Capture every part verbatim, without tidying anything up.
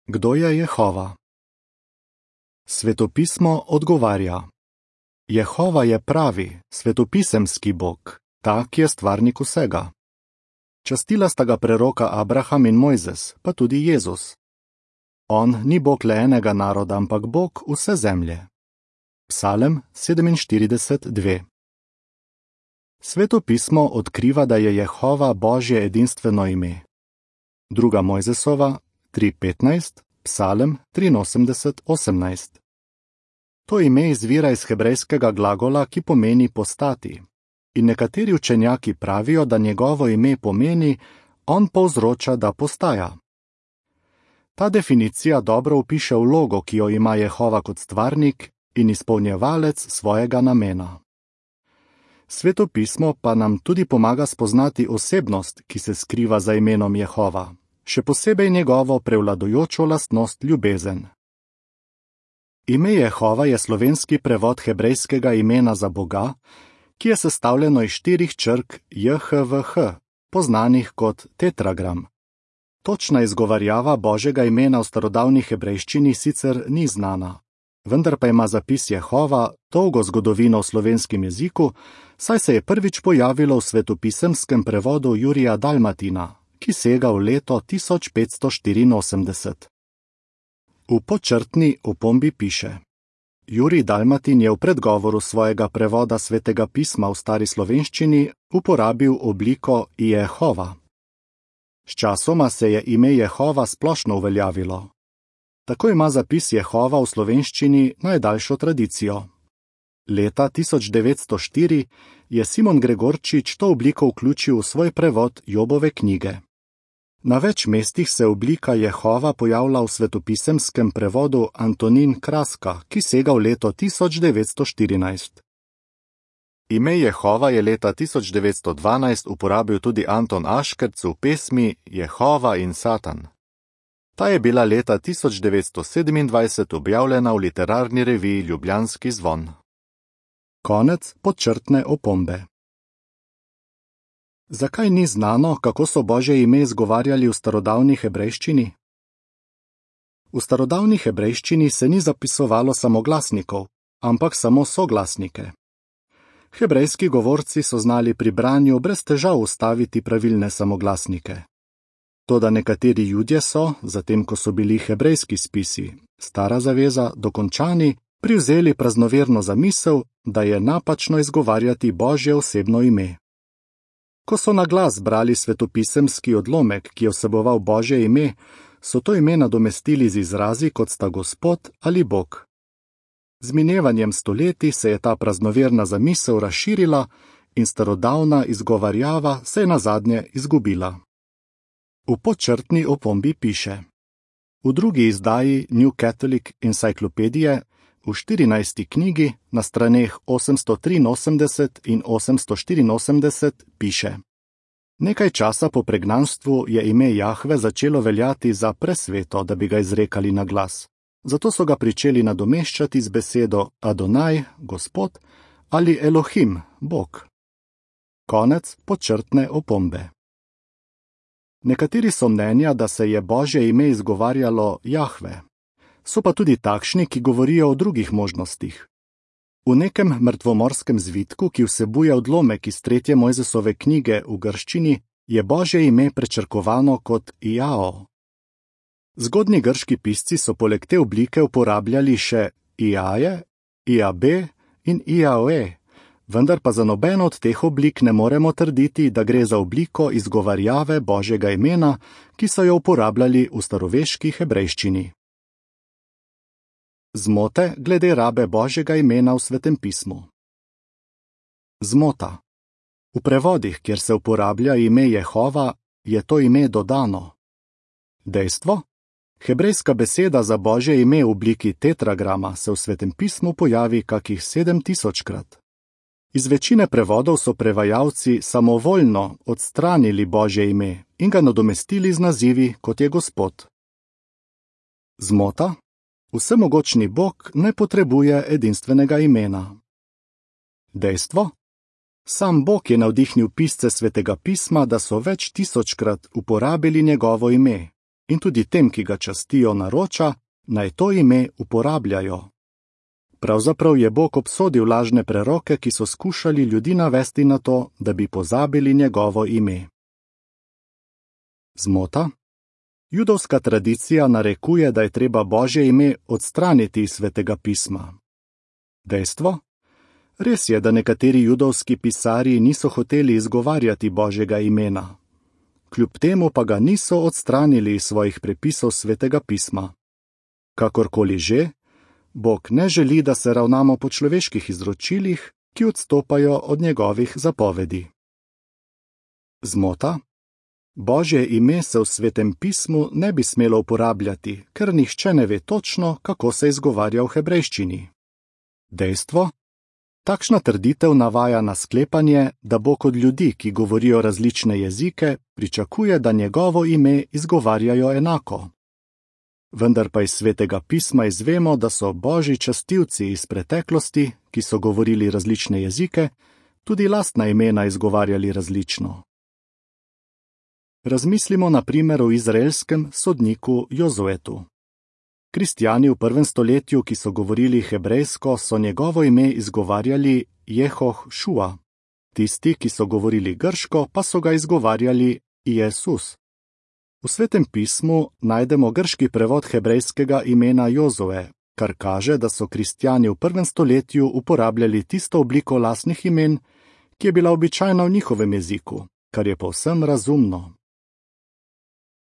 Kdo je Jehova? Svetopismo odgovarja: Jehova je pravi, svetopisemski Bog, ta, ki je stvarnik vsega. Častila sta ga preroka Abraham in Mojzes, pa tudi Jezus. On ni Bog le enega naroda, ampak Bog vse zemlje. Psalem sedeminštirideset dve. Svetopismo odkriva, da je Jehova Božje edinstveno ime. Druga Mojzesova tri petnajst, Psalem triinosemdeset osemnajst. To ime izvira iz hebrejskega glagola, ki pomeni postati. In nekateri učenjaki pravijo, da njegovo ime pomeni, on povzroča, da postaja. Ta definicija dobro opiše vlogo, ki jo ima Jehova kot stvarnik in izpolnjevalec svojega namena. Svetopismo pa nam tudi pomaga spoznati osebnost, ki se skriva za imenom Jehova, še posebej njegovo prevladujočo lastnost ljubezen. Ime Jehova je slovenski prevod hebrejskega imena za Boga, ki je sestavljeno iz štirih črk J H V H, poznanih kot tetragram. Točna izgovarjava Božjega imena v starodavni hebrejščini sicer ni znana, vendar pa ima zapis Jehova dolgo zgodovino v slovenskem jeziku, saj se je prvič pojavilo v svetopisemskem prevodu Jurija Dalmatina, ki sega v leto tisoč petsto štiriinosemdeset. V podčrtni opombi piše: Jurij Dalmatin je v predgovoru svojega prevoda svetega pisma v stari slovenščini uporabil obliko Jehova. Sčasoma se je ime Jehova splošno uveljavilo. Tako ima zapis Jehova v slovenščini najdaljšo tradicijo. Leta tisoč devetsto štiri je Simon Gregorčič to obliko vključil v svoj prevod Jobove knjige. Na več mestih se oblika Jehova pojavlja v svetopisemskem prevodu Antonin Kraska, ki sega v leto tisoč devetsto štirinajst. Ime Jehova je leta tisoč devetsto dvanajst uporabil tudi Anton Aškerc v pesmi Jehova in Satan. Ta je bila leta tisoč devetsto sedemindvajset objavljena v literarni reviji Ljubljanski zvon. Konec podčrtne opombe. Zakaj ni znano, kako so Božje ime izgovarjali v starodavni hebrejščini? V starodavni hebrejščini se ni zapisovalo samoglasnikov, ampak samo soglasnike. Hebrejski govorci so znali pri branju brez težav ustaviti pravilne samoglasnike. Toda nekateri Judje so, zatem ko so bili hebrejski spisi, Stara zaveza, dokončani, privzeli praznoverno zamisel, da je napačno izgovarjati Božje osebno ime. Ko so na glas brali svetopisemski odlomek, ki je vseboval Božje ime, so to ime nadomestili z izrazi, kot sta Gospod ali Bog. Z minevanjem stoletij se je ta praznoverna zamisel razširila in starodavna izgovarjava se je nazadnje izgubila. V podčrtni opombi piše: V drugi izdaji New Catholic Encyclopedia v štirinajsti knjigi na straneh osemsto triinosemdeset in osemsto štiriinosemdeset piše: Nekaj časa po pregnanstvu je ime Jahve začelo veljati za presveto, da bi ga izrekali na glas. Zato so ga pričeli nadomeščati z besedo Adonaj, Gospod, ali Elohim, Bog. Konec podčrtne opombe. Nekateri so mnenja, da se je Božje ime izgovarjalo Jahve. So pa tudi takšni, ki govorijo o drugih možnostih. V nekem mrtvomorskem zvitku, ki vsebuje odlomek iz tretje Mojzesove knjige v grščini, je Božje ime prečrkovano kot Iao. Zgodnji grški pisci so poleg te oblike uporabljali še Iaje, Iabe in Iaoe, vendar pa za nobeno od teh oblik ne moremo trditi, da gre za obliko izgovarjave Božjega imena, ki so jo uporabljali v staroveški hebrejščini. Zmote glede rabe Božjega imena v Svetem pismu. Zmota. V prevodih, kjer se uporablja ime Jehova, je to ime dodano. Dejstvo? Hebrejska beseda za Božje ime v obliki tetragrama se v Svetem pismu pojavi kakih sedem tisočkrat. Iz večine prevodov so prevajalci samovoljno odstranili Božje ime in ga nadomestili z nazivi, kot je Gospod. Zmota? Vsemogočni Bog ne potrebuje edinstvenega imena. Dejstvo? Sam Bog je navdihnil pisce Svetega pisma, da so več tisočkrat uporabili njegovo ime, in tudi tem, ki ga častijo, naroča, naj to ime uporabljajo. Pravzaprav je Bog obsodil lažne preroke, ki so skušali ljudi navesti na to, da bi pozabili njegovo ime. Zmota? Judovska tradicija narekuje, da je treba Božje ime odstraniti iz Svetega pisma. Dejstvo? Res je, da nekateri judovski pisarji niso hoteli izgovarjati Božjega imena. Kljub temu pa ga niso odstranili iz svojih prepisov Svetega pisma. Kakorkoli že, Bog ne želi, da se ravnamo po človeških izročilih, ki odstopajo od njegovih zapovedi. Zmota? Božje ime se v Svetem pismu ne bi smelo uporabljati, ker nihče ne ve točno, kako se izgovarja v hebrejščini. Dejstvo? Takšna trditev navaja na sklepanje, da Bog od ljudi, ki govorijo različne jezike, pričakuje, da njegovo ime izgovarjajo enako. Vendar pa iz Svetega pisma izvemo, da so Božji častilci iz preteklosti, ki so govorili različne jezike, tudi lastna imena izgovarjali različno. Razmislimo na primer o izraelskem sodniku Jozuetu. Kristjani v prvem stoletju, ki so govorili hebrejsko, so njegovo ime izgovarjali Jehošua. Tisti, ki so govorili grško, pa so ga izgovarjali Jezus. V Svetem pismu najdemo grški prevod hebrejskega imena Jozue, kar kaže, da so kristjani v prvem stoletju uporabljali tisto obliko lastnih imen, ki je bila običajna v njihovem jeziku, kar je povsem razumno.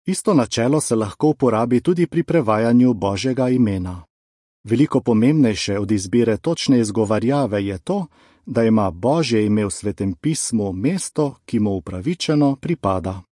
Isto načelo se lahko uporabi tudi pri prevajanju Božjega imena. Veliko pomembnejše od izbire točne izgovarjave je to, da ima Božje ime v Svetem pismu mesto, ki mu upravičeno pripada.